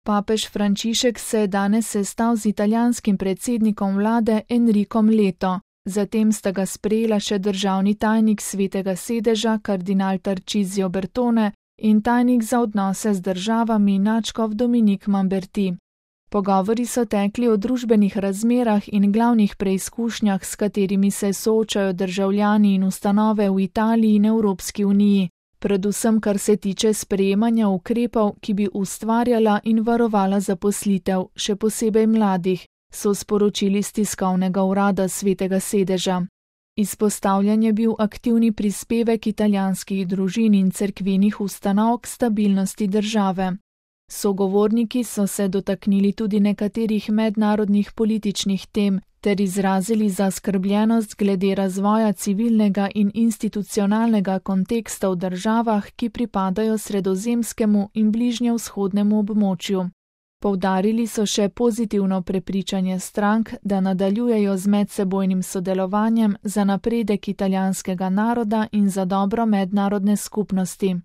Papež Frančišek se je danes sestal z italijanskim predsednikom vlade Enricom Leto. Zatem sta ga sprejela še državni tajnik Svetega sedeža kardinal Tarcisio Bertone in tajnik za odnose z državami nadškof Dominik Mamberti. Pogovori so tekli o družbenih razmerah in glavnih preizkušnjah, s katerimi se soočajo državljani in ustanove v Italiji in Evropski uniji, predvsem kar se tiče sprejemanja ukrepov, ki bi ustvarjala in varovala zaposlitev, še posebej mladih, so sporočili s tiskovnega urada Svetega sedeža. Izpostavljen je bil aktivni prispevek italijanskih družin in cerkvenih ustanov k stabilnosti države. Sogovorniki so se dotaknili tudi nekaterih mednarodnih političnih tem ter izrazili zaskrbljenost glede razvoja civilnega in institucionalnega konteksta v državah, ki pripadajo sredozemskemu in bližnjevzhodnemu območju. Poudarili so še pozitivno prepričanje strank, da nadaljujejo z medsebojnim sodelovanjem za napredek italijanskega naroda in za dobro mednarodne skupnosti.